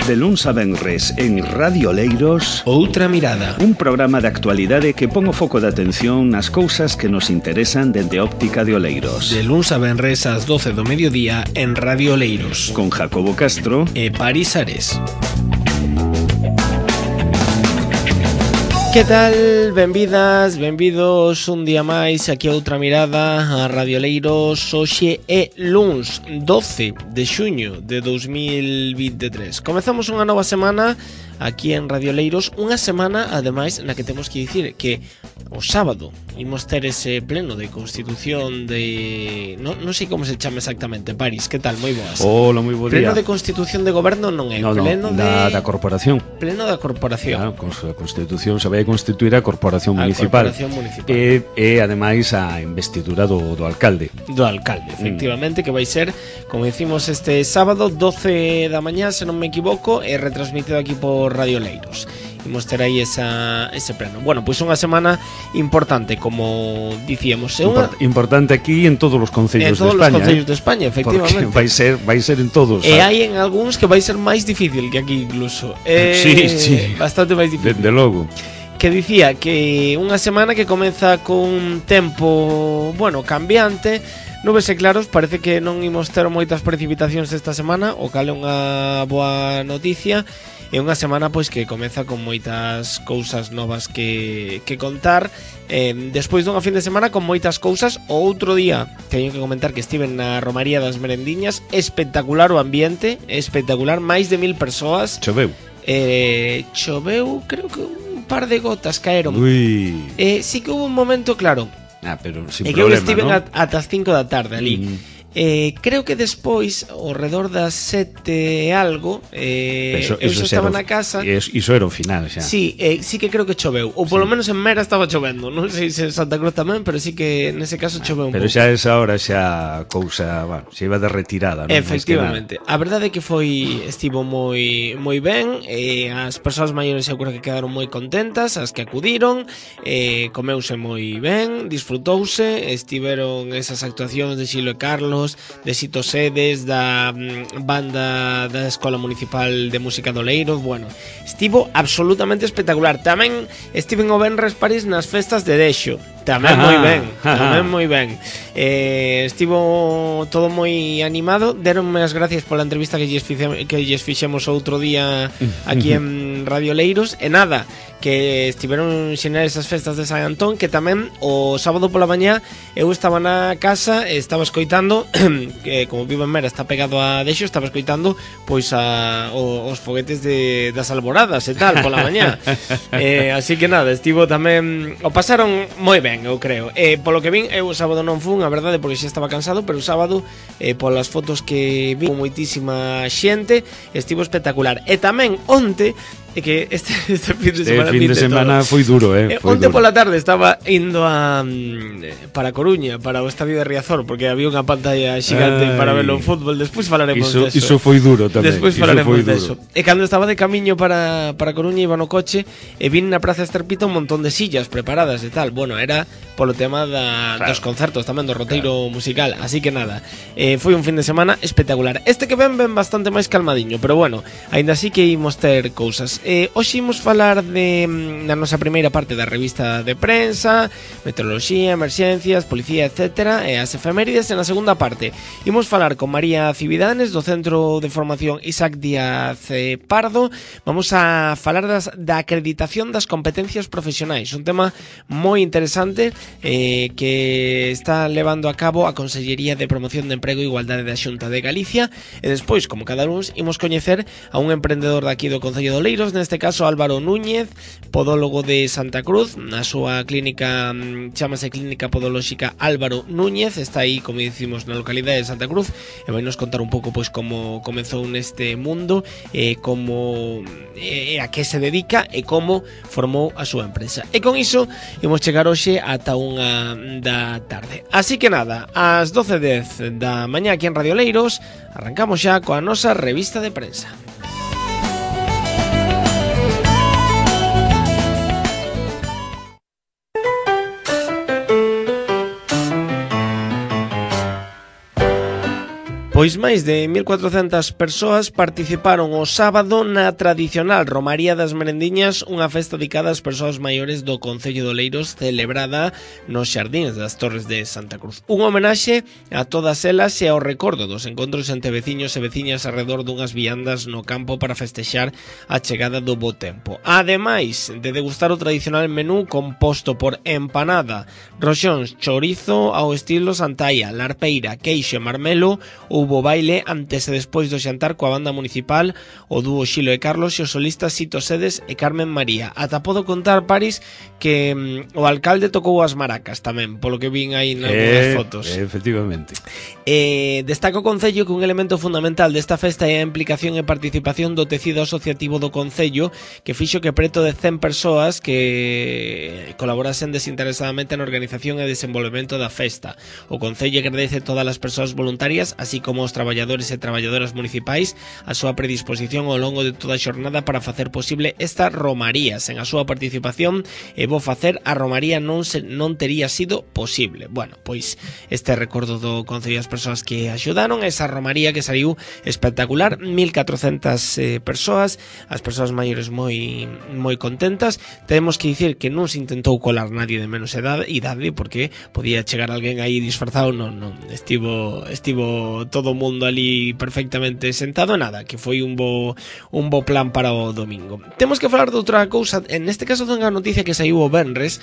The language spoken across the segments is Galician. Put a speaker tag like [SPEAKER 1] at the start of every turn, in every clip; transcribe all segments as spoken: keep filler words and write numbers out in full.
[SPEAKER 1] De luns a venres en Radio Leiros,
[SPEAKER 2] Outra Mirada,
[SPEAKER 1] un programa de actualidade que pon o foco de atención nas cousas que nos interesan dende a óptica de Oleiros.
[SPEAKER 2] De luns a venres ás doce do mediodía en Radio Leiros,
[SPEAKER 1] Con Jacobo Castro
[SPEAKER 2] e Paris Ares. Que tal? Benvidas, benvidos un día máis aquí a Outra Mirada a Radio Leiros. Hoxe é luns doce de xuño de dous mil vinte e tres. Comezamos unha nova semana aquí en Radio Leiros, unha semana ademais na que temos que dicir que o sábado imos ter ese pleno de constitución de... Non, non sei como se chama exactamente. Paris, que tal? Moi boas.
[SPEAKER 1] Hola, moi bo día.
[SPEAKER 2] Pleno de constitución de goberno non é,
[SPEAKER 1] no, no,
[SPEAKER 2] pleno
[SPEAKER 1] da,
[SPEAKER 2] de...
[SPEAKER 1] da corporación.
[SPEAKER 2] Pleno da corporación.
[SPEAKER 1] Claro, con a constitución se vai a constituir a corporación
[SPEAKER 2] a
[SPEAKER 1] municipal.
[SPEAKER 2] corporación municipal.
[SPEAKER 1] E, e ademais a investidura do, do alcalde.
[SPEAKER 2] Do alcalde, efectivamente, mm. que vai ser, como decimos, este sábado doce da mañá, se non me equivoco, e retransmitido aquí por Radio Leiros. Imos ter aí esa, ese pleno. Bueno, pois pues unha semana importante, como dicíamos. É unha...
[SPEAKER 1] Import, importante aquí en todos os concellos de España.
[SPEAKER 2] En todos os concellos eh? de España, efectivamente.
[SPEAKER 1] Porque vai ser, vai ser en todos.
[SPEAKER 2] E hai en algúns que vai ser máis difícil que aquí incluso. Eh,
[SPEAKER 1] sí, sí.
[SPEAKER 2] Bastante máis difícil.
[SPEAKER 1] Desde logo.
[SPEAKER 2] Que dicía que unha semana que comeza con tempo, bueno, cambiante, nubes e claros, parece que non imos ter moitas precipitacións esta semana, o cal é unha boa noticia. É unha semana pois que comeza con moitas cousas novas que, que contar, eh, despois dunha fin de semana con moitas cousas. O outro día teño que comentar que estiven na Romaría das Merendiñas, espectacular o ambiente, espectacular, máis de mil persoas.
[SPEAKER 1] Choveu.
[SPEAKER 2] Eh, choveu, creo que un par de gotas caeron.
[SPEAKER 1] Ui.
[SPEAKER 2] Eh, sí que hubo un momento, claro.
[SPEAKER 1] Ah, pero sin
[SPEAKER 2] e
[SPEAKER 1] problema,
[SPEAKER 2] que eu estiven
[SPEAKER 1] ¿no?
[SPEAKER 2] ata as cinco da tarde ali.
[SPEAKER 1] Mm.
[SPEAKER 2] Eh, creo que despois, ao redor das sete e algo, eh,
[SPEAKER 1] eso,
[SPEAKER 2] eu
[SPEAKER 1] eso
[SPEAKER 2] xa estaba
[SPEAKER 1] o,
[SPEAKER 2] na casa.
[SPEAKER 1] Iso era o final xa.
[SPEAKER 2] Sí, eh, sí que creo que choveu. Ou polo
[SPEAKER 1] sí.
[SPEAKER 2] menos en Mera estaba chovendo. Non sei se en Santa Cruz tamén, pero sí que nese caso choveu un
[SPEAKER 1] pouco. Pero
[SPEAKER 2] pouco.
[SPEAKER 1] xa esa hora xa cousa, bueno, xa iba de retirada, non?
[SPEAKER 2] Efectivamente. A verdade é que foi estivo moi moi ben, eh, as persoas maiores seguro que quedaron moi contentas, as que acudiron, eh, comeuse moi ben, disfrutouse, estiveron esas actuacións de Xilo e Carlos, de Sito Sedes, da mm, banda da Escola Municipal de Música do Leiros. Bueno, estivo absolutamente espectacular. Tamén estiven o venres París nas festas de Dexo. Tamén moi ben, tamén moi ben. Eh, estivo todo moi animado. Deronme as gracias pola entrevista que lles, fixe, que lles fixemos outro día aquí en Radio Leiros. E nada, que estiveron xenerais as festas de San Antón, que tamén o sábado pola mañá eu estaba na casa e estaba escoitando, que como vivo en Mera está pegado a Dexo, estaba escoitando pois a, o, os foguetes de, das alboradas e tal pola mañá. eh, así que nada, estivo tamén, o pasaron moi ben, eu creo. Eh, polo que vin, eu o sábado non fun, a verdade, porque xa estaba cansado, pero o sábado, eh, polas fotos que vi, moitísima xente, estivo espectacular. E tamén onte, é que este, este fin de semana,
[SPEAKER 1] este fin de semana foi duro, eh, foi
[SPEAKER 2] onte
[SPEAKER 1] duro.
[SPEAKER 2] pola tarde estaba indo a para Coruña, para o estadio de Riazor, porque había unha pantalla xigante Ay, para verlo en fútbol. Despois falaremos
[SPEAKER 1] iso,
[SPEAKER 2] deso.
[SPEAKER 1] Iso foi duro tamén.
[SPEAKER 2] Despois falaremos deso.
[SPEAKER 1] Duro.
[SPEAKER 2] E cando estaba de camiño para, para Coruña, iba no coche e vin na Praza Esterpita un montón de sillas preparadas e tal. Bueno, era polo tema da, claro. dos concertos tamén, do roteiro claro. musical. Así que nada, eh, foi un fin de semana espectacular. Este que ven, ven bastante máis calmadiño, pero bueno, aínda así que imos ter cousas. Eh, hoxe imos falar de na nosa primeira parte da revista de prensa, meteoroloxía, emerxencias, policía, etcétera, e as efemérides. En a segunda parte imos falar con María Cividanes, do Centro de Formación Isaac Díaz eh, Pardo. Vamos a falar das, da acreditación das competencias profesionais, un tema moi interesante eh, que está levando a cabo a Consellería de Promoción de Emprego e Igualdade da Xunta de Galicia. E despois, como cada luns, imos coñecer a un emprendedor daqui do Concello de Oleiros, neste caso Álvaro Núñez, podólogo de Santa Cruz. Na súa clínica, chamase Clínica Podolóxica Álvaro Núñez, está aí, como dicimos, na localidade de Santa Cruz, e vai nos contar un pouco pois como comezou neste mundo, e como e a que se dedica e como formou a súa empresa. E con iso imos chegar hoxe ata unha da tarde. Así que nada, ás doce e dez da mañá aquí en Radio Leiros, arrancamos xa coa nosa revista de prensa. Pois máis de mil cuatrocentas persoas participaron o sábado na tradicional Romaría das Merendiñas, unha festa dedicada ás persoas maiores do Concello de Oleiros, celebrada nos xardíns das Torres de Santa Cruz. Un homenaxe a todas elas e ao recordo dos encontros entre veciños e veciñas arredor dunhas viandas no campo para festexar a chegada do bo tempo. Ademais de degustar o tradicional menú composto por empanada, roxóns, chorizo ao estilo Santaia, larpeira, queixo e marmelo, houbo baile antes e despois do xantar coa banda municipal, o dúo Xilo e Carlos e os solistas Sito Sedes e Carmen María. Ata podo contar, Paris, que mm, o alcalde tocou as maracas tamén, polo que vin aí nas eh, fotos.
[SPEAKER 3] Efectivamente.
[SPEAKER 2] Eh, destaca o Concello que un elemento fundamental desta festa é a implicación e participación do tecido asociativo do Concello, que fixo que preto de cen persoas que colaborasen desinteresadamente na organización e desenvolvemento da festa. O Concello agradece todas as persoas voluntarias, así como os traballadores e traballadoras municipais, a súa predisposición ao longo de toda a xornada para facer posible esta romaría. Sen a súa participación e bo facer, a romaría non se, non tería sido posible. Bueno, pois este recordo do Concello das persoas que axudaron, esa romaría que saiu espectacular, mil catrocentas eh, persoas, as persoas maiores moi moi contentas. Temos que dicir que non se intentou colar nadie de menos edade, idade, porque podía chegar alguén aí disfrazado, non, non, estivo estivo todo o mundo ali perfectamente sentado, nada, que foi un bo un bo plan para o domingo. Temos que falar de outra cousa, en este caso dunha noticia que saiu o venres,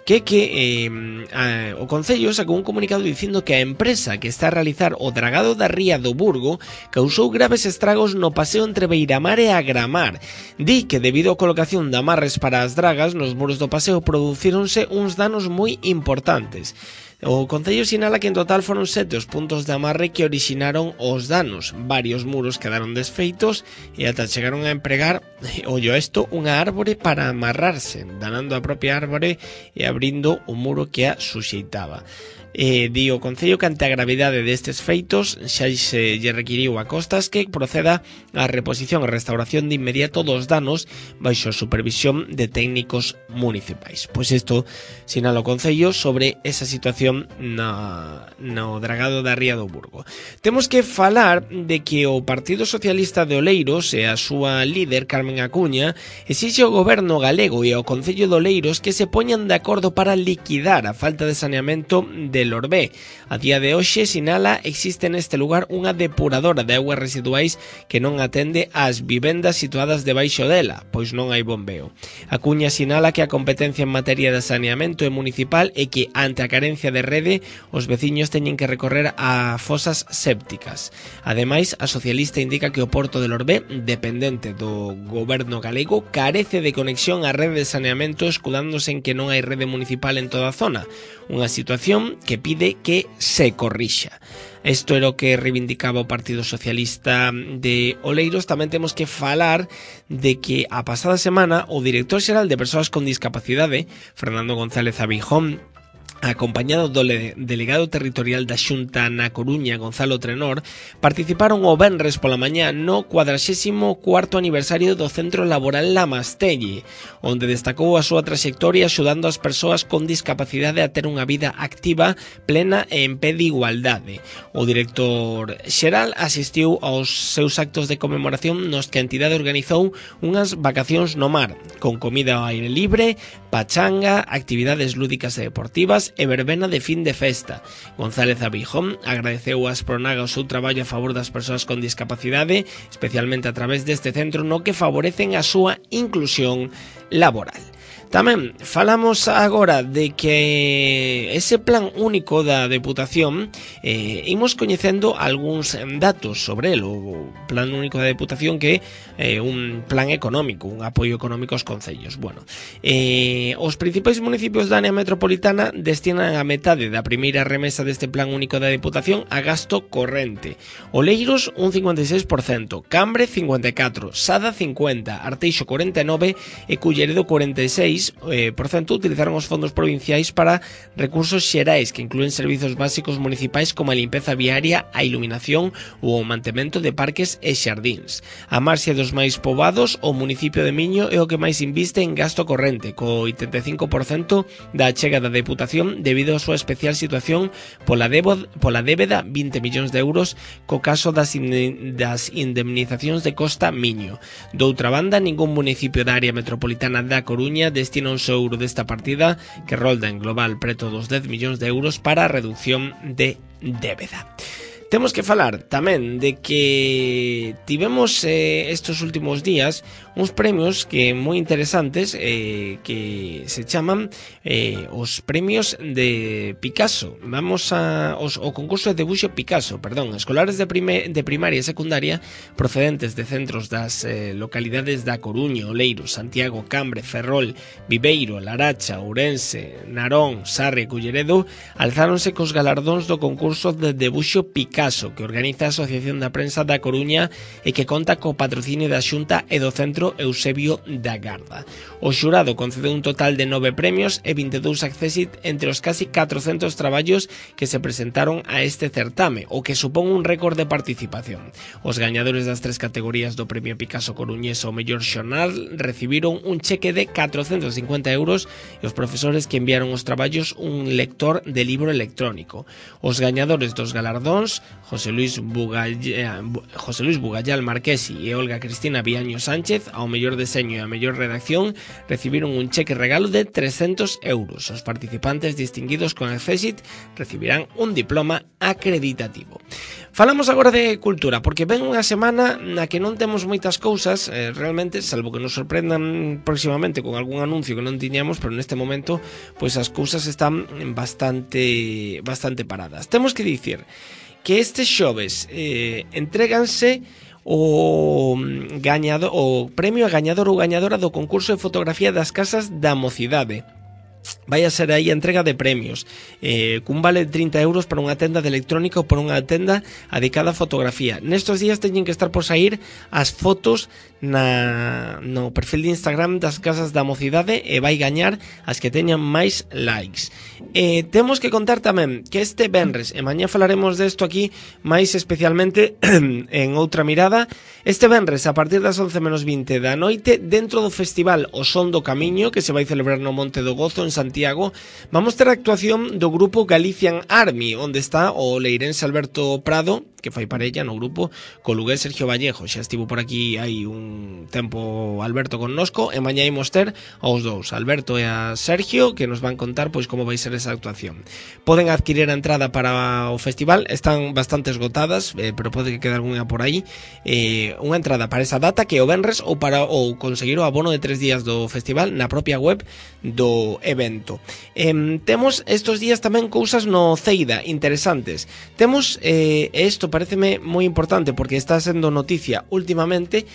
[SPEAKER 2] que que eh, a, o Concello sacou un comunicado dicindo que a empresa que está a realizar o dragado da ría do Burgo causou graves estragos no paseo entre Beiramar e Agramar. Di que debido á colocación de amarres para as dragas nos muros do paseo producíronse uns danos moi importantes. O Concello sinala que en total foron sete os puntos de amarre que orixinaron os danos. Varios muros quedaron desfeitos e ata chegaron a empregar, ollo isto, unha árbore para amarrarse, danando a propia árbore e abrindo o muro que a suxeitaba. Eh, di o Concello que ante a gravidade destes feitos xa se lle requiriu a Costas que proceda á reposición e restauración de inmediato dos danos baixo a supervisión de técnicos municipais. Pois isto sinala o Concello sobre esa situación na, no dragado da ría do Burgo. Temos que falar de que o Partido Socialista de Oleiros e a súa líder Carmen Acuña exixe ao goberno galego e ao Concello de Oleiros que se poñan de acordo para liquidar a falta de saneamento de Lorbé. A día de hoxe sinala existe neste lugar unha depuradora de augas residuais que non atende ás vivendas situadas debaixo dela, pois non hai bombeo. A Cuña sinala que a competencia en materia de saneamento é municipal e que ante a carencia de rede os veciños teñen que recorrer a fosas sépticas. Ademais, a socialista indica que o porto de Lorbé, dependente do goberno galego, carece de conexión á rede de saneamento, escudándose en que non hai rede municipal en toda a zona, unha situación que pide que se corrixa. Isto era o que reivindicaba o Partido Socialista de Oleiros. Tamén temos que falar de que a pasada semana o director xeral de Persoas con Discapacidade, Fernando González Abijón, acompañado do delegado territorial da Xunta na Coruña, Gonzalo Trenor, participaron o venres pola mañá no cuadraxésimo cuarto aniversario do Centro Laboral La Mastelle, onde destacou a súa traxectoria axudando as persoas con discapacidade a ter unha vida activa, plena e en pé de igualdade. O director xeral asistiu aos seus actos de conmemoración nos que a entidade organizou unhas vacacións no mar, con comida ao aire libre, pachanga, actividades lúdicas e deportivas e verbena de fin de festa. González Abijón agradeceu a Aspronaga o seu traballo a favor das persoas con discapacidade, especialmente a través deste centro no que favorecen a súa inclusión laboral. Tamén falamos agora de que ese plan único da Deputación, eh, imos coñecendo algúns datos sobre el, o plan único da Deputación que é eh, un plan económico, un apoio económico aos concellos. Bueno, eh, os principais municipios da área metropolitana destinan a metade da primeira remesa deste plan único da Deputación a gasto corrente. Oleiros un cincuenta e seis por cento, Cambre cincuenta e catro por cento, Sada cincuenta por cento, Arteixo cuarenta e nove por cento e Culleredo cuarenta e seis seis por cento utilizaron os fondos provinciais para recursos xerais que incluen servizos básicos municipais como a limpeza viaria, a iluminación ou o mantemento de parques e xardíns. A marxe dos máis poboados, o municipio de Miño é o que máis inviste en gasto corrente, co oitenta e cinco por cento da achega da Deputación debido á súa especial situación pola, debo, pola débeda vinte millóns de euros co caso das, in, das indemnizacións de Costa Miño. Doutra banda, ningún municipio da área metropolitana da Coruña destina un só euro desta partida que rolda en global preto dos dez millóns de euros para a reducción de débeda. Temos que falar tamén de que tivemos eh, estos últimos días uns premios que moi interesantes eh, que se chaman eh, os premios de Picasso. Vamos a os, o concurso de debuxo Picasso, perdón, escolares de, prime, de primaria e secundaria procedentes de centros das eh, localidades da Coruña, Oleiros, Santiago, Cambre, Ferrol, Viveiro, Laracha, Ourense, Narón, Sarre e Culleredo alzáronse cos galardóns do concurso de debuxo Picasso que organiza a Asociación da Prensa da Coruña e que conta co patrocinio da Xunta e do Centro Eusebio da Garda. O xurado concedeu un total de nove premios e vinte e dous accésit entre os casi catrocentos traballos que se presentaron a este certame, o que supón un récord de participación. Os gañadores das tres categorías do Premio Picasso Coruñés ao mellor xornal recibiron un cheque de catrocentos cincuenta euros e os profesores que enviaron os traballos un lector de libro electrónico. Os gañadores dos galardóns, José Luis Bugallal, José Luis Bugallal Marquesi e Olga Cristina Viaño Sánchez, ao mellor deseño e a mellor redacción, recibiron un cheque regalo de trescentos euros. Os participantes distinguidos con accésit recibirán un diploma acreditativo. Falamos agora de cultura, porque ven unha semana na que non temos moitas cousas, eh, realmente, salvo que nos sorprendan próximamente con algún anuncio que non tiñamos, pero neste momento, pois as cousas están bastante bastante paradas. Temos que dicir que este xoves eh, entréganse o gañador, o premio a gañador ou gañadora do concurso de fotografía das Casas da Mocidade. Vai a ser aí a entrega de premios eh, cun vale de trinta euros para unha tenda de electrónica ou para unha tenda dedicada a fotografía. Nestos días teñen que estar por sair as fotos na, no perfil de Instagram das Casas da Mocidade e vai gañar as que teñan máis likes. eh, Temos que contar tamén que este venres, e mañá falaremos desto aquí máis especialmente en outra mirada, este venres a partir das once menos vinte da noite, dentro do festival O Son do Camiño, que se vai celebrar no Monte do Gozo en Santiago, vamos ter a actuación do grupo Galician Army, onde está o leirense Alberto Prado, que fai parella no grupo co lugués Sergio Vallejo. Xa estivo por aquí hai un tempo Alberto connosco, e mañá imos ter aos dous, Alberto e a Sergio, que nos van contar pois como vai ser esa actuación. Poden adquirir a entrada para o festival, están bastante esgotadas, eh, pero pode que quede algunha por aí. Eh, unha entrada para esa data que é o venres, ou para ou conseguir o abono de tres días do festival na propia web do evento. Eh, temos estos días tamén cousas no Ceida interesantes. Temos, eh, isto pareceme moi importante porque está sendo noticia últimamente,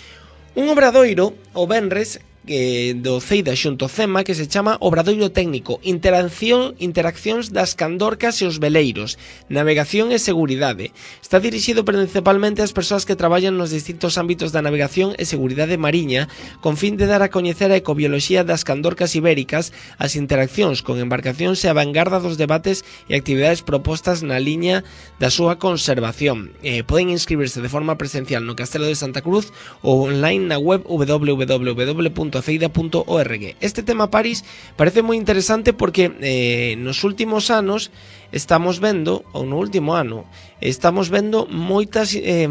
[SPEAKER 2] un obradoiro o venres eh, do Ceida xunto Cema que se chama Obradoiro Técnico, Interacción, Interaccións das Candorcas e os Veleiros, Navegación e Seguridade. Está dirixido principalmente ás persoas que traballan nos distintos ámbitos da navegación e seguridade mariña, con fin de dar a coñecer a ecobioloxía das candorcas ibéricas, as interaccións con embarcacións e a vanguarda dos debates e actividades propostas na liña da súa conservación. Eh, poden inscribirse de forma presencial no Castelo de Santa Cruz ou online na web w w w punto ceida punto org. Este tema, Paris, parece moi interesante porque eh, nos últimos anos estamos vendo, ou no último ano, estamos vendo moitas eh,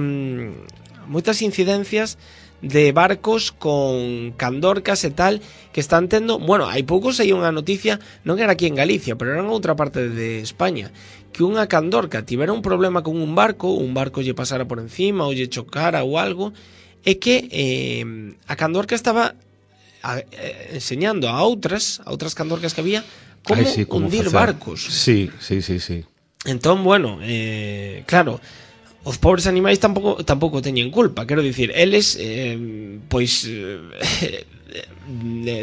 [SPEAKER 2] moitas incidencias de barcos con candorcas e tal que están tendo, bueno, hai poucos hai unha noticia, non era aquí en Galicia, pero era en outra parte de España, que unha candorca tivera un problema con un barco, un barco lle pasara por encima ou lle chocara ou algo, e que eh, a candorca estaba A, eh, enseñando a outras a outras candorcas que había como Ay, sí, hundir facer. barcos.
[SPEAKER 3] Sí, sí, sí, sí.
[SPEAKER 2] Entón, bueno, eh, claro, os pobres animais tampouco tampouco teñen culpa, quero dicir, eles eh, pois eh,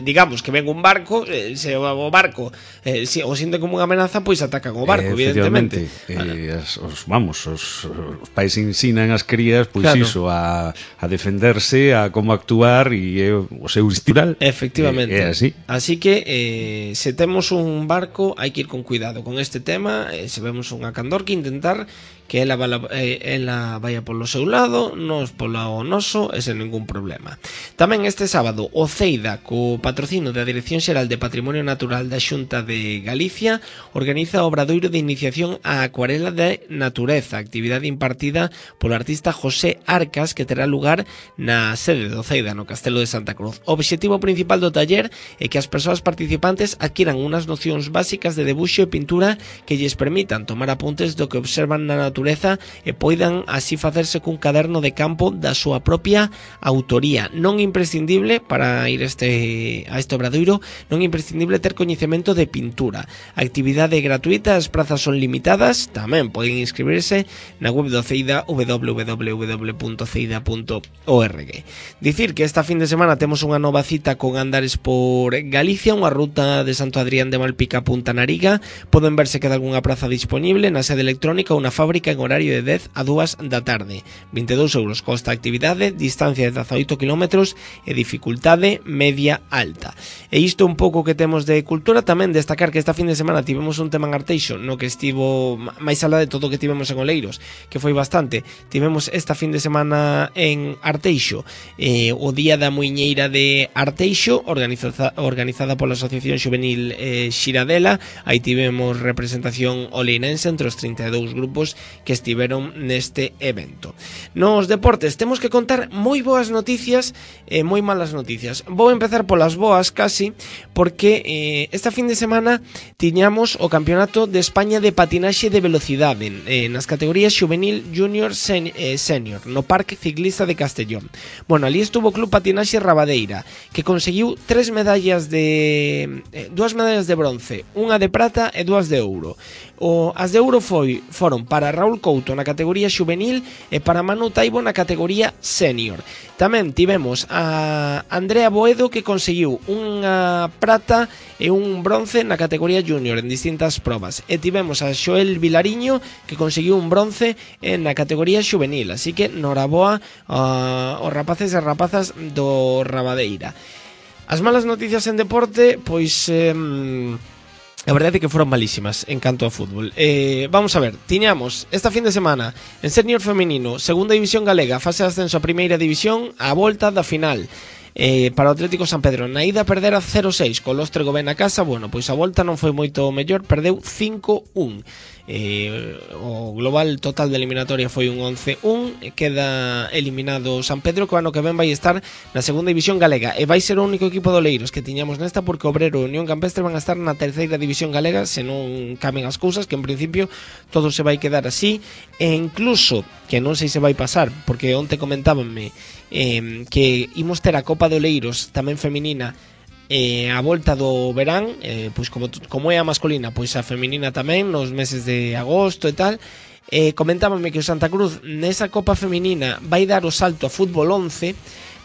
[SPEAKER 2] digamos que ven un barco, eh, se o barco eh, se o sienten como unha amenaza, pois atacan o barco, eh, evidentemente.
[SPEAKER 1] Eh, as, os, vamos, os, os pais ensinan as crías, pois claro, iso, a, a defenderse, a como actuar, e é o seu estiral.
[SPEAKER 2] Efectivamente.
[SPEAKER 1] É, é así.
[SPEAKER 2] Así que eh, se temos un barco, hai que ir con cuidado con este tema, eh, se vemos unha candorca, intentar que ela, vala, eh, ela vaya polo seu lado, nos polo noso, e sen ningún problema. Tamén este sábado, o Ceida, co patrocino da Dirección Xeral de Patrimonio Natural da Xunta de Galicia, organiza o obradoiro de iniciación á acuarela de natureza, actividade impartida polo artista José Arcas, que terá lugar na sede do Ceida, no Castelo de Santa Cruz. O obxectivo principal do taller é que as persoas participantes adquiran unas nocións básicas de debuxo e pintura que lles permitan tomar apuntes do que observan na natureza e poidan así facerse cun caderno de campo da súa propia autoría. Non imprescindible para ir este, a este obradoiro, non imprescindible ter coñecemento de pintura. A actividade é gratuita, as prazas son limitadas, tamén poden inscribirse na web do Ceida, w w w punto ceida punto org. Dicir que esta fin de semana temos unha nova cita con Andares por Galicia, unha ruta de Santo Adrián de Malpica a Punta Nariga. Poden verse que de algunha praza disponible na sede electrónica ou na fábrica en horario de dez a dúas da tarde. vinte e dous euros costa a actividade, distancia de dezaoito kilómetros e dificultade media alta. E isto un pouco que temos de cultura. Tamén destacar que esta fin de semana tivemos un tema en Arteixo no que estivo máis alá de todo o que tivemos en Oleiros, que foi bastante. Tivemos esta fin de semana en Arteixo eh, o Día da Muiñeira de Arteixo, organizada, organizada pola Asociación Xuvenil eh, Xiradela. Aí tivemos representación oleirense entre os trinta e dous grupos que estiveron neste evento. Nos deportes temos que contar moi boas noticias e moi malas noticias. Vou empezar polas boas casi, porque eh, esta fin de semana tiñamos o Campeonato de España de Patinaxe de Velocidade eh, nas categorías Juvenil, Junior, sen, eh, Senior no Parque Ciclista de Castellón. Bueno, ali estuvo o Club Patinaxe Rabadeira, que conseguiu tres medallas de eh, dúas medallas de bronce, unha de prata e dúas de ouro. O, as de ouro foi, foron para Raúl Couto na categoría Juvenil e para Manu Taibo na categoría Senior. Tamén tivemos a Andrea Boedo, que conseguiu unha prata e un bronce na categoría Junior en distintas probas. E tivemos a Xoel Vilariño, que conseguiu un bronce na categoría Juvenil. Así que noraboa uh, os rapaces e rapazas do Rabadeira. As malas noticias en deporte, pois... Eh, a verdade é que foron malísimas en canto ao fútbol. Eh, vamos a ver, tiñamos esta fin de semana en Senior Feminino, Segunda División Galega, fase de ascenso a Primeira División, a volta da final. Eh, para o Atlético San Pedro, na ida perdera cero seis, co Lostre Gobén na casa. Bueno, pois a volta non foi moito mellor, perdeu cinco un. Eh, o global total de eliminatoria foi un once un. Queda eliminado San Pedro, que o ano que ven vai estar na Segunda División Galega e vai ser o único equipo de Oleiros que tiñamos nesta, porque Obrero e Unión Campestre van a estar na Terceira División Galega se non cambian as cousas, que en principio todo se vai quedar así. E incluso, que non sei se vai pasar, porque onte comentábanme eh, que imos ter a Copa de Oleiros tamén feminina eh, a volta do verán, eh, pois como, como é a masculina, pois a feminina tamén nos meses de agosto e tal. Eh, comentábanme que o Santa Cruz nesa Copa feminina vai dar o salto a fútbol once,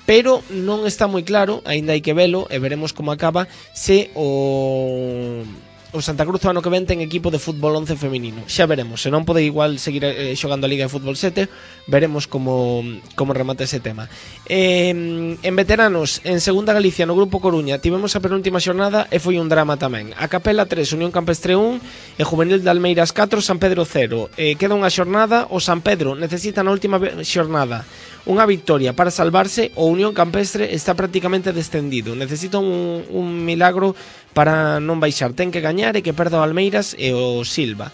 [SPEAKER 2] pero non está moi claro, aínda hai que velo e veremos como acaba, se o... o Santa Cruz o ano que ven ten equipo de fútbol once feminino. Xa veremos, se non pode igual seguir eh, xogando a Liga de Fútbol sete, veremos como, como remata ese tema. Eh, en veteranos, en Segunda Galicia, no Grupo Coruña, tivemos a penúltima xornada e foi un drama tamén. A Capela tres, Unión Campestre un e Juvenil de Almeiras catro, San Pedro cero. Eh, queda unha xornada, o San Pedro necesita na última xornada unha victoria para salvarse. O Unión Campestre está prácticamente descendido, necesita un, un milagro para non baixar, ten que gañar e que perda o Almeiras e o Silva.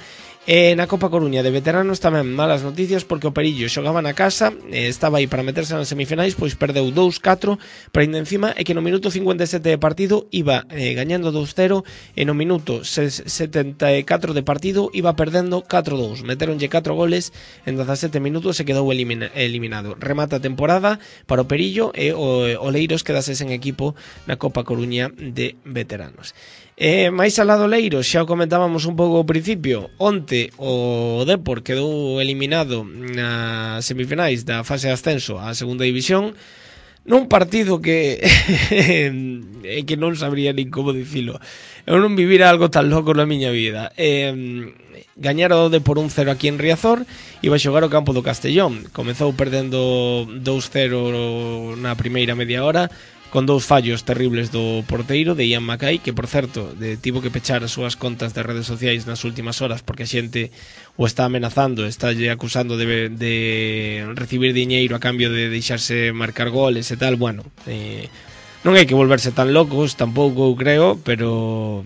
[SPEAKER 2] E na Copa Coruña de veteranos tamén malas noticias, porque o Perillo xogaba na casa, e estaba aí para meterse nas semifinais, pois perdeu dous catro, pero ainda encima é que no minuto cincuenta e sete de partido iba eh, gañando dous cero, e no minuto setenta e catro de partido iba perdendo catro dous. Meteronlle catro goles en dezasete minutos e quedou elimina, eliminado. Remata a temporada para o Perillo e o Oleiros quedase sen equipo na Copa Coruña de veteranos. E máis alá do Leiro, xa o comentábamos un pouco ao principio, onte o Depor quedou eliminado nas semifinais da fase de ascenso á segunda división nun partido que que non sabría nin como dicilo. Eu non vivira algo tan loco na miña vida. Eh, gañara o Depor un cero aquí en Riazor, iba a xogar o campo do Castellón. Comezou perdendo dous cero na primeira media hora, con dous fallos terribles do porteiro de Ian Mackay, que por certo de, tivo que pechar as súas contas de redes sociais nas últimas horas porque a xente o está amenazando, está acusando de, de recibir diñeiro a cambio de deixarse marcar goles e tal. Bueno, eh, non hai que volverse tan locos tampouco, creo, pero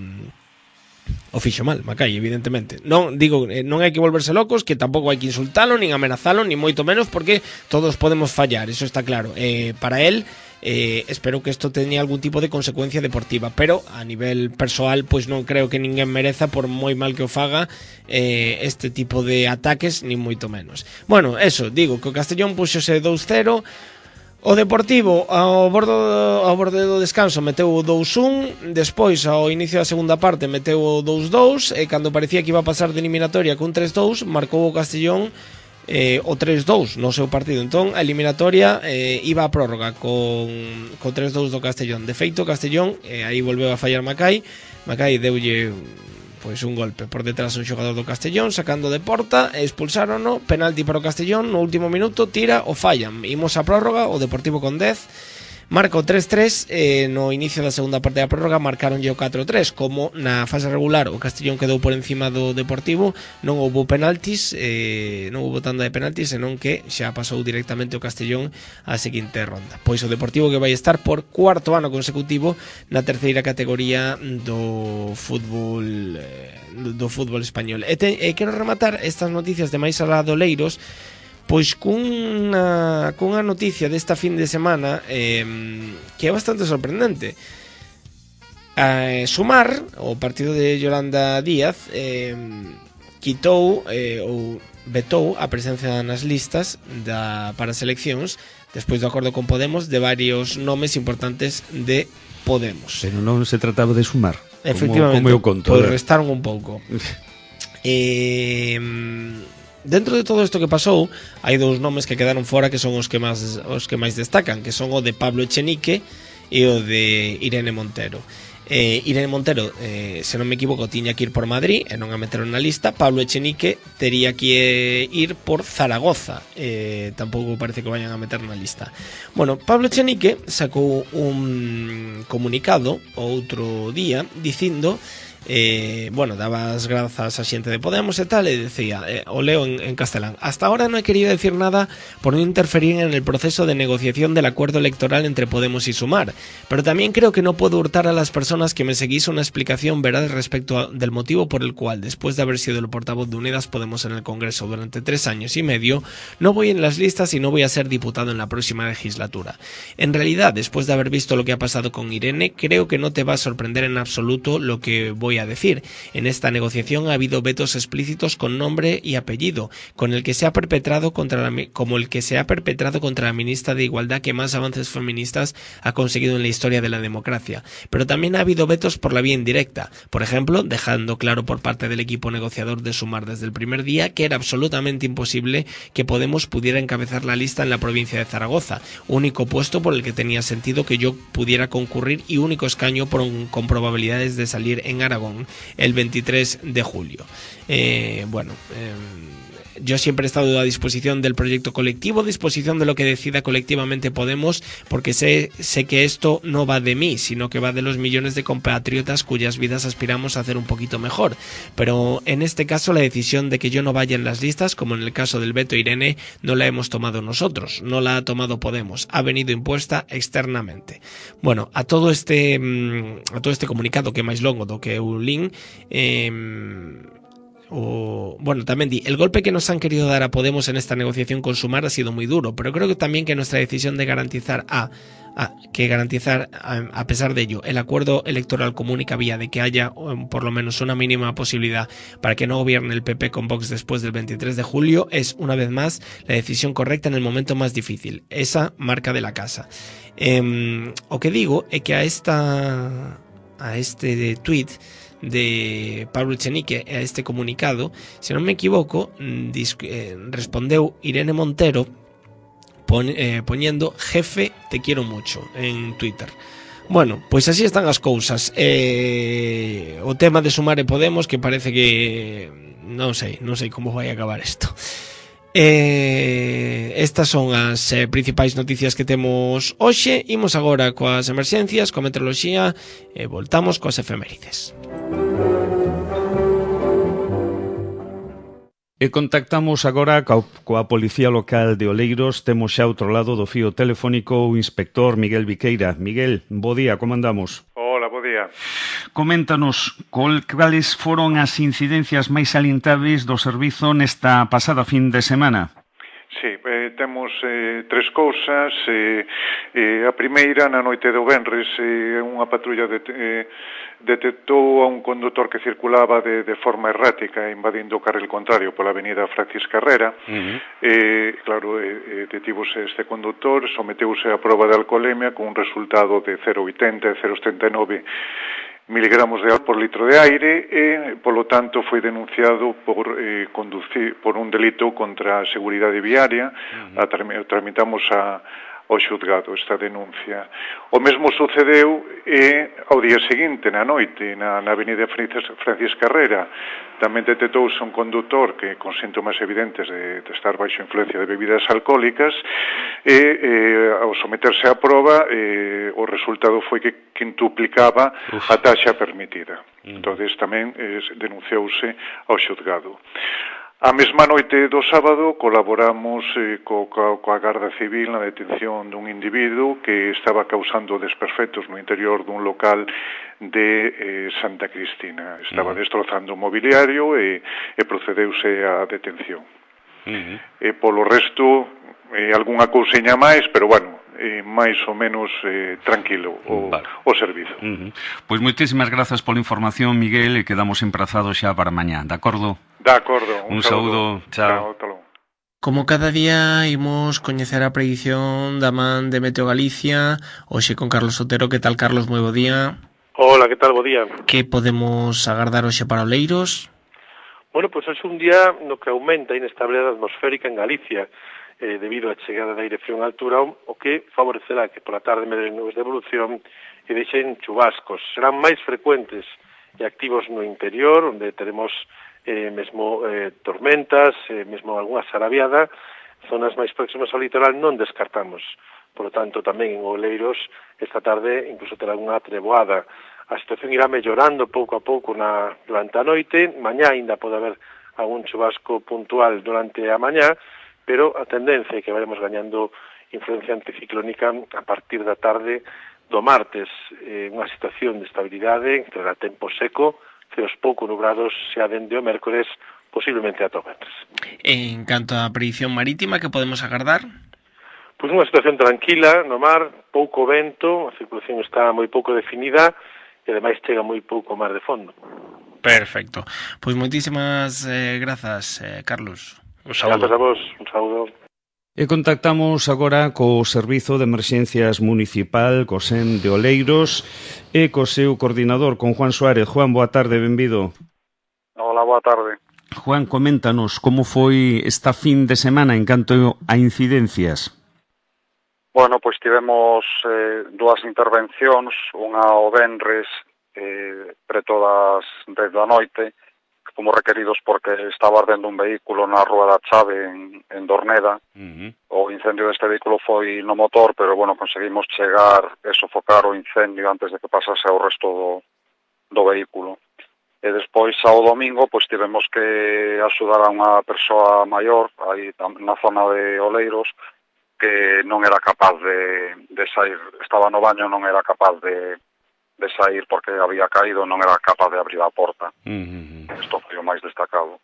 [SPEAKER 2] o fixo mal, Mackay, evidentemente. Non digo, non hai que volverse locos, que tampouco hai que insultalo, nin amenazalo, nin moito menos, porque todos podemos fallar, eso está claro. Eh, para él, eh, espero que isto teña algún tipo de consecuencia deportiva, pero a nivel persoal, pois non creo que ninguén mereza, por moi mal que o faga, eh, este tipo de ataques, nin moito menos. Bueno, eso, digo, que o Castellón puxose dous cero. O Deportivo ao borde, ao borde do descanso meteu o dous un, despois ao inicio da segunda parte meteu o dous dous, e cando parecía que iba a pasar de eliminatoria cun tres dous, marcou o Castellón eh, o tres dous no seu partido. Entón a eliminatoria eh, iba a prórroga con co tres dous do Castellón. De feito, o Castellón, eh, aí volveu a fallar Mackay. Mackay deulle pois un golpe por detrás un xogador do Castellón, sacando de porta, e expulsárono, penalti para o Castellón, no último minuto tira o fallan. Imos a prórroga, o Deportivo con dez marca o tres tres, eh, no inicio da segunda parte da prórroga marcaronlle o catro tres. Como na fase regular o Castellón quedou por encima do Deportivo, non houbo penaltis, eh, non houbo tanda de penaltis, senón que xa pasou directamente o Castellón á seguinte ronda. Pois o Deportivo que vai estar por cuarto ano consecutivo na terceira categoría do fútbol eh, do fútbol español. E, te, e quero rematar estas noticias de máis alá do Leiros pois cunha, cunha noticia desta fin de semana eh, que é bastante sorprendente. Eh, Sumar, o partido de Yolanda Díaz, eh, quitou eh, ou vetou a presencia nas listas da, para as eleccións despois do acordo con Podemos de varios nomes importantes de Podemos.
[SPEAKER 1] Pero non se trataba de Sumar,
[SPEAKER 2] efectivamente,
[SPEAKER 1] como, como eu conto,
[SPEAKER 2] pois restaron un pouco. eh... Dentro de todo isto que pasou, hai dous nomes que quedaron fora que son os que máis os que máis destacan, que son o de Pablo Echenique e o de Irene Montero. Eh, Irene Montero, eh, se non me equivoco, tiña que ir por Madrid e non a meteron na lista. Pablo Echenique tería que ir por Zaragoza, eh, tampouco parece que vayan a meter na lista. Bueno, Pablo Echenique sacou un comunicado outro día dicindo Eh, bueno, daba as grazas a xente de Podemos e tal, e decía, eh, o leo en, en castelán: hasta ahora no he querido decir nada por no interferir en el proceso de negociación del acuerdo electoral entre Podemos y Sumar, pero también creo que no puedo hurtar a las personas que me seguís una explicación veraz respecto a, del motivo por el cual, después de haber sido el portavoz de Unidas Podemos en el Congreso durante tres años y medio, no voy en las listas y no voy a ser diputado en la próxima legislatura. En realidad, después de haber visto lo que ha pasado con Irene, creo que no te va a sorprender en absoluto lo que voy a decir. En esta negociación ha habido vetos explícitos con nombre y apellido, con el que se ha perpetrado contra la, como el que se ha perpetrado contra la ministra de Igualdad que más avances feministas ha conseguido en la historia de la democracia. Pero también ha habido vetos por la vía indirecta, por ejemplo, dejando claro por parte del equipo negociador de Sumar desde el primer día que era absolutamente imposible que Podemos pudiera encabezar la lista en la provincia de Zaragoza, único puesto por el que tenía sentido que yo pudiera concurrir y único escaño por, con probabilidades de salir en Aragón el veintitrés de julio. Eh, bueno, eh, yo siempre he estado a disposición del proyecto colectivo, a disposición de lo que decida colectivamente Podemos, porque sé, sé que esto no va de mí, sino que va de los millones de compatriotas cuyas vidas aspiramos a hacer un poquito mejor. Pero en este caso la decisión de que yo no vaya en las listas, como en el caso del veto Irene, no la hemos tomado nosotros, no la ha tomado Podemos, ha venido impuesta externamente. Bueno, a todo este a todo este comunicado que máis longo do que un link, eh, O, bueno, también di, el golpe que nos han querido dar a Podemos en esta negociación con Sumar ha sido muy duro, pero creo que también que nuestra decisión de garantizar a, a que garantizar a, a pesar de ello el acuerdo electoral común y que había de que haya um, por lo menos una mínima posibilidad para que no gobierne el P P con Vox después del veintitrés de julio es una vez más la decisión correcta en el momento más difícil, esa marca de la casa. Eh, o que digo é que a esta a este de tweet de Pablo Echenique, a este comunicado, se non me equivoco, eh, respondeu Irene Montero pon, eh, poñendo jefe te quiero mucho en Twitter. Bueno, pois así están as cousas. Eh, o tema de Sumar e Podemos, que parece que non sei, non sei como vai acabar isto. Eh, estas son as eh, principais noticias que temos hoxe. Imos agora coas emerxencias, coa meteoroloxía e voltamos coas efemérides.
[SPEAKER 1] E contactamos agora coa, coa Policía Local de Oleiros. Temos xa outro lado do fío telefónico o inspector Miguel Viqueira. Miguel, bo día, como andamos?
[SPEAKER 3] Hola, bo día.
[SPEAKER 1] Coméntanos, col, cales foron as incidencias máis salientáveis do servizo nesta pasada fin de semana?
[SPEAKER 3] Sí, eh, temos eh, tres cousas. Eh, eh, a primeira, na noite do venres, eh, unha patrulla de, eh, detectou a un condutor que circulaba de, de forma errática, invadindo o carril contrario pola avenida Francis Carrera. Uh-huh. eh, claro, eh, detívose este condutor, someteuse a proba de alcoholemia con un resultado de cero vírgula oitenta e cero vírgula setenta e nove miligramos de alcohol por litro de aire e, polo tanto, foi denunciado por eh, conducir por un delito contra a seguridade viaria. Uh-huh. a, tramitamos a, ao xuzgado esta denuncia. O mesmo sucedeu e ao día seguinte, na noite, na, na avenida Francis, Francis Carrera, tamén detectouse un condutor que con síntomas evidentes de, de estar baixo influencia de bebidas alcohólicas e eh, ao someterse á proba eh, o resultado foi que quintuplicaba Uf. a taxa permitida. Mm. Entonces tamén eh, denunciouse ao xuzgado. A mesma noite do sábado colaboramos eh, co, co, coa Garda Civil na detención dun individuo que estaba causando desperfectos no interior dun local de eh, Santa Cristina. Estaba uh-huh. destrozando o mobiliario e, e procedeuse á detención. Uh-huh. E polo resto, eh, algunha cousiña máis, pero bueno, eh, máis ou menos eh, tranquilo o, vale. o servizo.
[SPEAKER 1] Uh-huh. Pois moitísimas grazas pola información, Miguel, e quedamos emprazados xa para mañá, de acordo?
[SPEAKER 3] De acordo.
[SPEAKER 1] Un, un saúdo. saúdo. Chao.
[SPEAKER 3] Chao.
[SPEAKER 2] Como cada día imos coñecer a predición da man de Meteo Galicia, hoxe con Carlos Otero. Que tal, Carlos? Moi bo día.
[SPEAKER 4] Hola, que tal? Bo día.
[SPEAKER 2] Que podemos agardar hoxe para Oleiros?
[SPEAKER 4] Bueno, pois pues hoxe un día no que aumenta a inestabilidade atmosférica en Galicia, eh, debido á chegada da aire frío en altura, o que favorecerá que pola tarde medren nubes de evolución e deixen chubascos. Serán máis frecuentes e activos no interior, onde teremos eh, mesmo eh, tormentas, eh, mesmo algunha sarabiada. Zonas máis próximas ao litoral non descartamos. Por lo tanto, tamén en Oleiros, esta tarde incluso terá unha treboada. A situación irá mellorando pouco a pouco na, durante a noite. Mañá ainda pode haber algún chubasco puntual durante a mañá, pero a tendencia é que vayamos gañando influencia anticiclónica a partir da tarde do martes. Eh, unha situación de estabilidade, terá tempo seco, ceos pouco nubrados xa dende o mércores, posiblemente ata o venres.
[SPEAKER 2] En canto á predición marítima, que podemos agardar?
[SPEAKER 4] Pois unha situación tranquila no mar, pouco vento, a circulación está moi pouco definida e ademais chega moi pouco mar de fondo.
[SPEAKER 2] Perfecto. Pois moitísimas eh, grazas, eh, Carlos. Un saúdo.
[SPEAKER 4] Grazas a vos, un saúdo.
[SPEAKER 1] E contactamos agora co Servizo de Emerxencias Municipal, co S E M de Oleiros, e co seu coordinador, con Juan Suárez. Juan, boa tarde, benvido.
[SPEAKER 5] Hola, boa tarde.
[SPEAKER 1] Juan, coméntanos como foi esta fin de semana en canto a incidencias.
[SPEAKER 5] Bueno, pois tivemos eh, dúas intervencións, unha ao venres eh, preto das dez da noite, como requeridos porque estaba ardendo un vehículo na Rúa da Chave en, en Dorneda. Uh-huh. O incendio deste vehículo foi no motor, pero bueno, conseguimos chegar e sofocar o incendio antes de que pasase ao resto do, do vehículo. E despois, ao domingo, pois tivemos que axudar a unha persoa maior aí na zona de Oleiros que non era capaz de, de sair, estaba no baño, non era capaz de de sair porque había caído, non era capaz de abrir a porta. Uh-huh. Isto foi o máis destacado.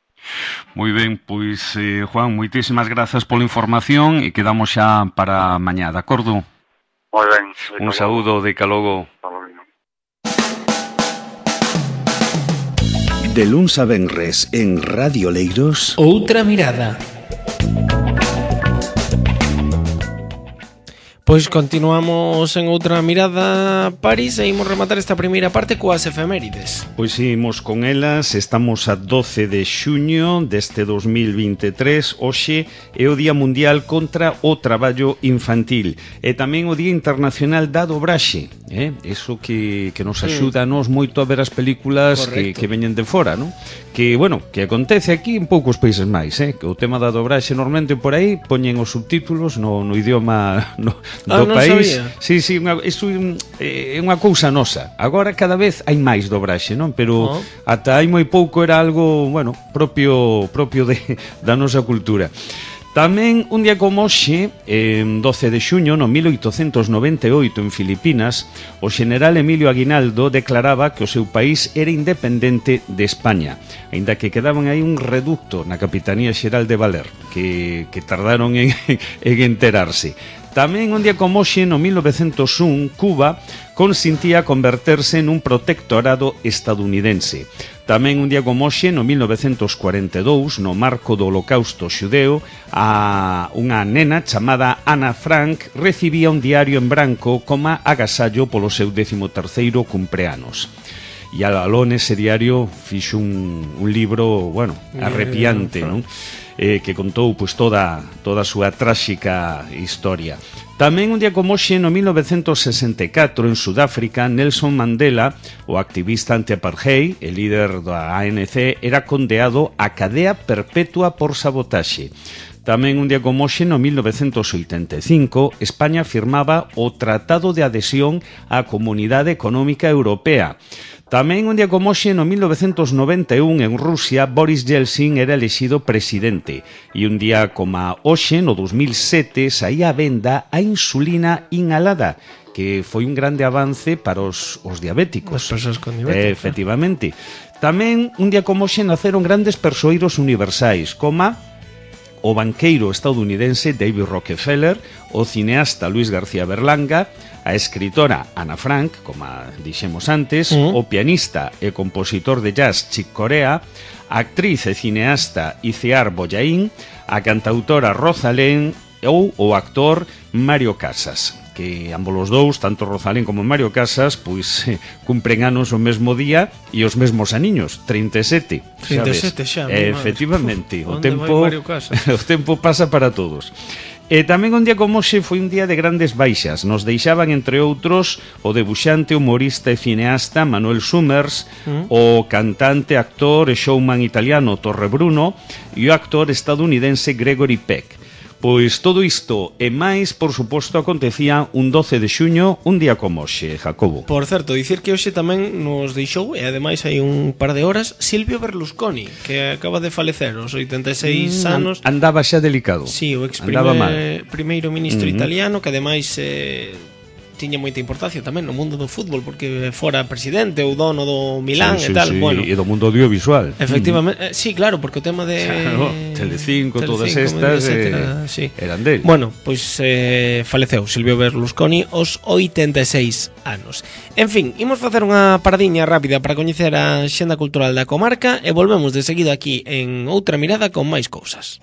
[SPEAKER 1] Moi ben, pois, eh, Juan, moitísimas grazas pola información e quedamos xa para mañá, de acordo?
[SPEAKER 5] Moi ben.
[SPEAKER 1] Un saúdo, de calogo.
[SPEAKER 6] De luns a venres en Radio Oleiros.
[SPEAKER 2] Outra mirada. Pois continuamos en outra mirada París e imos rematar esta primeira parte coas efemérides.
[SPEAKER 1] Pois imos con elas, estamos a doce de xuño deste dos mil vinte e tres, hoxe é o Día Mundial contra o Traballo Infantil e tamén o Día Internacional da Dobraxe, eh? Eso que, que nos axuda a nos moito a ver as películas que, que veñen de fora, non? Que, bueno, que acontece aquí en poucos países máis, eh? Que o tema da dobraxe normalmente por aí poñen os subtítulos no, no idioma no,
[SPEAKER 2] ah,
[SPEAKER 1] do país.
[SPEAKER 2] Sabía.
[SPEAKER 1] Sí, sí, unha, iso é unha cousa nosa. Agora cada vez hai máis dobraxe, non? Pero oh. ata hai moi pouco era algo, bueno, propio propio de, da nosa cultura. Tamén un día como hoxe, en doce de xuño, no mil oitocentos noventa e oito, en Filipinas, o xeneral Emilio Aguinaldo declaraba que o seu país era independente de España, aínda que quedaban aí un reducto na Capitanía Xeral de Valer, que, que tardaron en, en enterarse. Tamén un día como hoxe, no mil novecentos un, Cuba consintía converterse nun protectorado estadounidense. Tamén un día como hoxe, no mil novecentos cuarenta e dous, no marco do Holocausto xudeo, a unha nena chamada Ana Frank recibía un diario en branco como agasallo polo seu décimo terceiro cumpleanos. E aló nese diario fixo un, un libro, bueno, arrepiante, non? Eh, que contou pois, toda, toda a súa tráxica historia. Tamén un día como hoxe, no mil novecentos sesenta e catro, en Sudáfrica, Nelson Mandela, o activista anti-apartheid, el líder da A N C, era condeado a cadea perpetua por sabotaxe. Tamén un día como hoxe, no mil novecentos oitenta e cinco, España firmaba o Tratado de Adhesión á Comunidade Económica Europea. Tamén un día como hoxe, no mil novecentos noventa e un, en Rusia, Boris Yeltsin era elexido presidente. E un día como hoxe, no dos mil sete, saía a venda a insulina inhalada, que foi un grande avance para os, os diabéticos.
[SPEAKER 2] As persoas con diabetes.
[SPEAKER 1] Eh, efectivamente. Tamén un día como hoxe naceron grandes persoeiros universais, como o banqueiro estadounidense David Rockefeller, o cineasta Luis García Berlanga, a escritora Ana Frank, como dixemos antes, uh-huh. o pianista e compositor de jazz Chick Corea, a actriz e cineasta Iciar Bollaín, a cantautora Rosalén ou o actor Mario Casas, que ambos os dous, tanto Rosalén como Mario Casas, pois eh, cumpren anos o mesmo día e os mesmos aniños, trinta e sete,
[SPEAKER 2] trinta e sete xa,
[SPEAKER 1] eh, efectivamente,
[SPEAKER 2] Uf,
[SPEAKER 1] o tempo o tempo pasa para todos. E tamén un día como hoxe foi un día de grandes baixas. Nos deixaban, entre outros, o debuxante, humorista e cineasta Manuel Summers, mm. o cantante, actor e showman italiano Torre Bruno e o actor estadounidense Gregory Peck. Pois todo isto e máis, por suposto, acontecía un doce de xuño, un día como hoxe, Jacobo.
[SPEAKER 2] Por certo, dicir que hoxe tamén nos deixou, e ademais hai un par de horas, Silvio Berlusconi, que acaba de falecer aos oitenta e seis mm, anos.
[SPEAKER 1] Andaba xa delicado.
[SPEAKER 2] Sí, o ex primer, primeiro ministro mm-hmm. italiano, que ademais eh, tiña moita importancia tamén no mundo do fútbol, porque fora presidente ou dono do Milán
[SPEAKER 1] sí,
[SPEAKER 2] e tal.
[SPEAKER 1] Sí,
[SPEAKER 2] bueno,
[SPEAKER 1] e do mundo audiovisual.
[SPEAKER 2] Efectivamente, mm. eh, sí, claro, porque o tema de
[SPEAKER 1] claro, Telecinco, Telecinco, todas estas etcétera, eh, sí. eran del.
[SPEAKER 2] Bueno, pois eh, faleceu Silvio Berlusconi aos oitenta e seis anos. En fin, imos facer unha paradiña rápida para coñecer a xenda cultural da comarca e volvemos de seguido aquí en outra mirada con máis cousas.